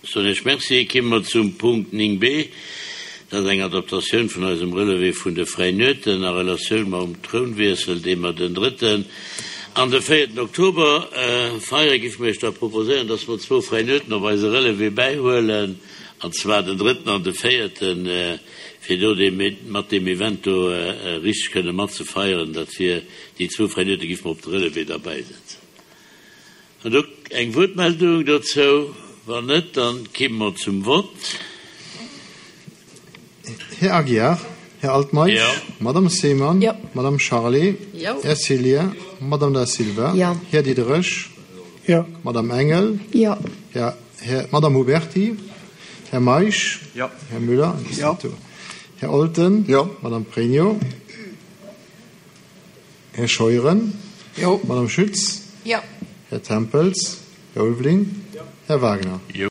Soen Iech Merci. Kimme mer zum Punkt 9 b. Dat ass eng Adaptatioun vun eisem Relevé vun de fräien Nueten a Relatioun mam Trounwiessel, dee mer den drëtten an de véierten Oktober feieren. Giff mer Iech da proposéieren, dass mer zwou fräi Nueten op eise Relevé bäihuelen, an zwar den drëtten an de véierten, fir do dee mat deem Event do richteg kënne matzefeieren. Dat wier déi zwou fräi Nuete giff mer op de Relevé derbäisetzen. Huet och eng Wuertmeldung dozou? Wann net, dann kimme mer zum Vott. Här Aguiar, Här Altmeisch, Madame Seemann, Madame Charlé, Här Cillien, Madame Da Silva, Här Diderich, Madame Engel, Madame Huberty, Här Meisch, Här Müller, Här Olten, Madame Pregno. Här Scheuren. Jo. Madame Schütz. Jo. Här Tempels. Här Ulveling. Jo. Här Wagner. Jo.